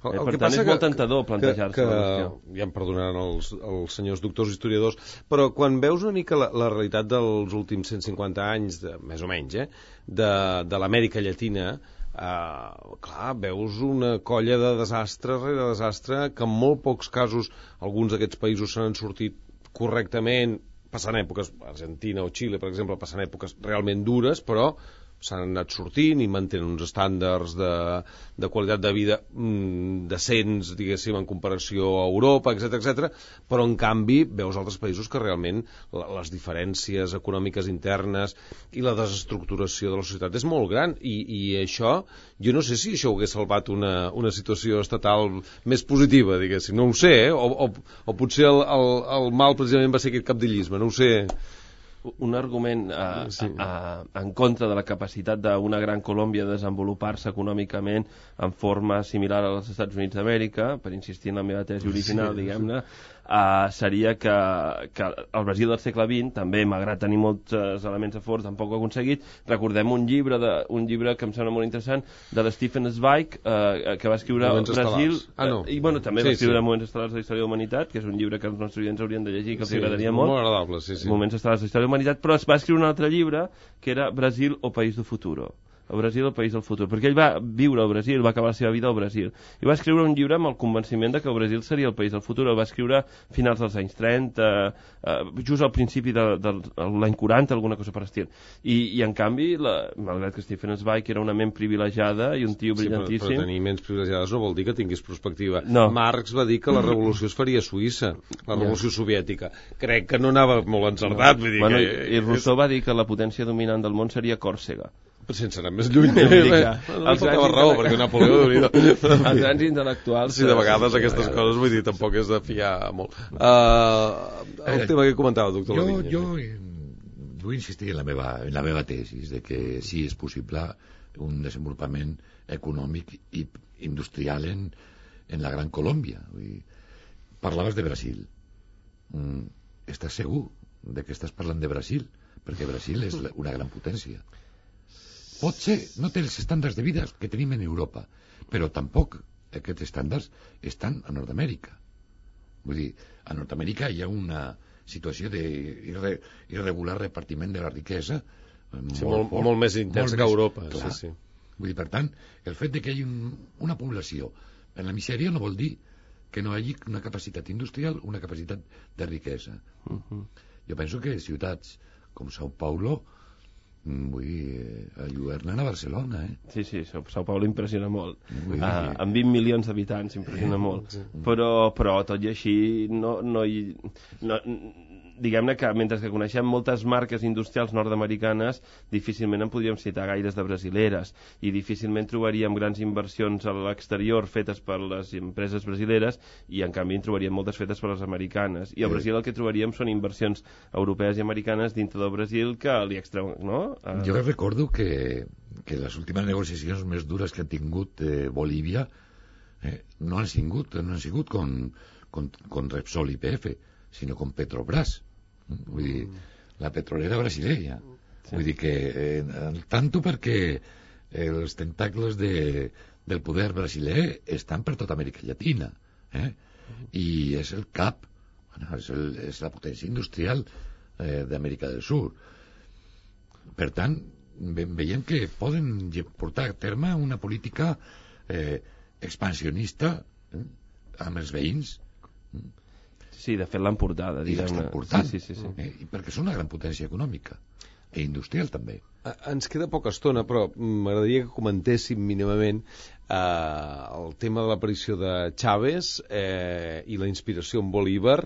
El, el eh, per que tant, passa és molt tentador plantejar-se la qüestió. Ja em perdonaran els, els senyors doctors historiadors, però quan veus una mica la, la realitat dels últims cent cinquanta anys, de, més o menys, eh, de, de l'Amèrica Llatina, Uh, clar, veus una colla de desastre rere desastre que en molt pocs casos alguns d'aquests països se n'han sortit correctament, passant èpoques, Argentina o Xile, per exemple, passant èpoques realment dures, però s'han anat sortint i mantenen uns estàndards de, de qualitat de vida mm, decents, diguéssim, en comparació a Europa, etcètera, etcètera, però en canvi veus altres països que realment la, les diferències econòmiques internes i la desestructuració de la societat és molt gran, i, i això, jo no sé si això hagués salvat una, una situació estatal més positiva, diguéssim, no ho sé, eh? o, o, o potser el, el, el mal precisament va ser aquest capdillisme, no ho sé. Un argument a, sí. a, a, en contra de la capacitat d'una gran Colòmbia de desenvolupar-se econòmicament en forma similar als Estats Units d'Amèrica, per insistir en la meva tesi original, sí, diguem-ne, uh, seria que, que el Brasil del segle vint, també, malgrat tenir molts elements a favor, tampoc ho ha aconseguit. Recordem un llibre, de, un llibre que em sembla molt interessant, de Stephen Zweig, uh, que va escriure Moments Brasil... Ah, no. Uh, I, bueno, també sí, va escriure sí. Moments estel·lars de la història de la humanitat, que és un llibre que els nostres estudiants haurien de llegir, que els sí, agradaria molt. Molt agradable, sí, sí. Moments estel·lars de la història de la humanitat, però es va escriure un altre llibre que era Brasil o País del Futuro. El Brasil, el país del futur, perquè ell va viure al Brasil, va acabar la seva vida al Brasil, i va escriure un llibre amb el convenciment de que el Brasil seria el país del futur. El va escriure a finals dels anys trenta, eh, just al principi de, de, de l'any quaranta, alguna cosa per estil. I, i en canvi, la, malgrat que Stephen Zweig era una ment privilegiada i un tio brillantíssim... Sí, però, però tenir ments privilegiades no vol dir que tinguis perspectiva. No. Marx va dir que la revolució es faria a Suïssa, la revolució ja. soviètica. Crec que no anava molt encertat. No. Vull dir bueno, que... I Rousseau va dir que la potència dominant del món seria Còrsega. Però sense anar més lluny, eh? No faltava raó, perquè Napoleó... Els grans intel·lectuals... Sí, de vegades sí, aquestes vegades. coses, vull dir, tampoc és de fiar molt. Uh, el eh, tema que comentava, doctor jo, Lavinya. Jo vull insistir en la meva, en la meva tesis, de que sí és possible un desenvolupament econòmic i industrial en, en la Gran Colòmbia. Vull dir, parlaves de Brasil. Mm, estàs segur de que estàs parlant de Brasil? Perquè Brasil és una gran potència. Potser no té els estàndards de vida que tenim en Europa, però tampoc aquests estàndards estan a Nord-Amèrica. Vull dir, a Nord-Amèrica hi ha una situació d'irregular repartiment de la riquesa sí, molt, molt, molt més intensa que a Europa. Clar. Sí, sí. Vull dir, per tant, el fet de que hi hagi un, una població en la misèria no vol dir que no hi hagi una capacitat industrial, una capacitat de riquesa. Uh -huh. Jo penso que ciutats com Sao Paulo vull dir, alluernen a Barcelona, eh? Sí, sí, Sao Paulo impressiona molt. Uh, amb vint milions d'habitants impressiona molt. Sí. Però, però tot i així, no, no hi... No, diguem-ne que mentre que coneixem moltes marques industrials nord-americanes, difícilment en podríem citar gaires de brasileres, i difícilment trobaríem grans inversions a l'exterior fetes per les empreses brasileres, i en canvi en trobaríem moltes fetes per les americanes. I al Brasil el que trobaríem són inversions europees i americanes dintre del Brasil que li extreuen, no? Uh... Jo recordo que, que les últimes negociacions més dures que ha tingut eh, Bolívia eh, no han sigut, no han sigut con, con, con Repsol i P F, sinó con Petrobras. Vull dir, la petrolera brasilella. Sí. Vull dir que, eh, tanto perquè els tentacles de, del poder brasiler estan per tota Amèrica Llatina, eh? I és el cap, bueno, és, el, és la potència industrial eh, d'Amèrica del Sud. Per tant, ve, veiem que poden portar a terme una política eh, expansionista eh, amb els veïns. Sí, de fet l'han portada. I l'estan portant, sí, sí, sí, sí. Eh, perquè són una gran potència econòmica i industrial també. Ens queda poca estona, però m'agradaria que comentéssim mínimament eh, el tema de l'aparició de Chávez eh, i la inspiració en Bolívar.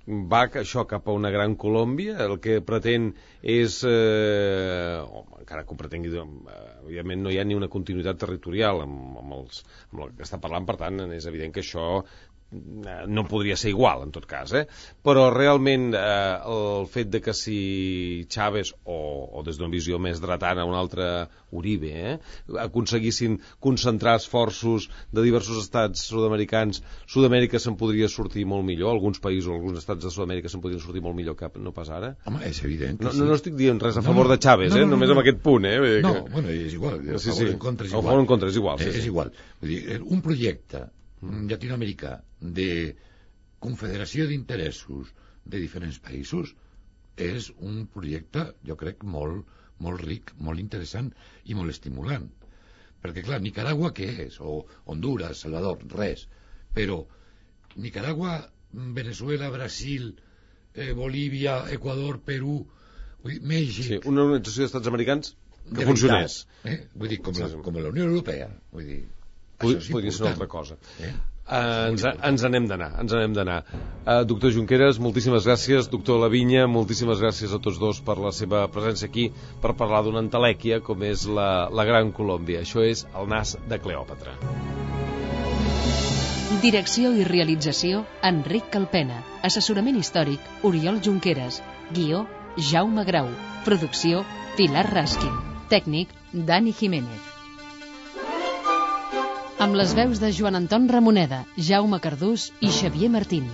Va això cap a una gran Colòmbia, el que pretén és, eh, home, encara que ho pretengui, eh, evidentment no hi ha ni una continuïtat territorial amb, amb, els, amb el que està parlant, per tant és evident que això no podria ser igual, en tot cas, eh? Però realment eh, el fet de que si Chávez o, o des d'una visió més dretana un altre Uribe eh, aconseguissin concentrar esforços de diversos estats sud-americans, Sud-amèrica se'n podria sortir molt millor, alguns països, alguns estats de Sud-amèrica se'n podrien sortir molt millor que no pas ara. Home, és evident que no, sí. no, no estic dient res a favor no, de Chávez, no, no, eh? no, Només no, amb aquest punt, eh? No, que... bueno, és igual, a sí, favor sí. en contra és igual. igual. A favor en contra és igual, sí, és sí. igual. Vull dir, un projecte llatinoamericà de confederació d'interessos de diferents països és un projecte, jo crec, molt, molt ric, molt interessant i molt estimulant. Perquè, clar, Nicaragua què és? O Honduras, Salvador, res. Però Nicaragua, Venezuela, Brasil, eh, Bolívia, Equador, Perú, vull dir, Mèxic... Sí, una organització d'estats americans que de funcionés. Veritat, eh? Vull dir, com la, com la Unió Europea. Vull dir, Pod podria ser una altra cosa. Eh? Uh, ens, ens anem d'anar, ens anem d'anar. Uh, doctor Junqueras, moltíssimes gràcies. Doctor Lavinya, moltíssimes gràcies a tots dos per la seva presència aquí per parlar d'una entelèquia com és la, la Gran Colòmbia. Això és El nas de Cleòpatra. Direcció i realització, Enric Calpena. Assessorament històric, Oriol Junqueras. Guió, Jaume Grau. Producció, Pilar Raskin. Tècnic, Dani Jiménez. Amb les veus de Joan Anton Ramoneda, Jaume Cardús i Xavier Martín.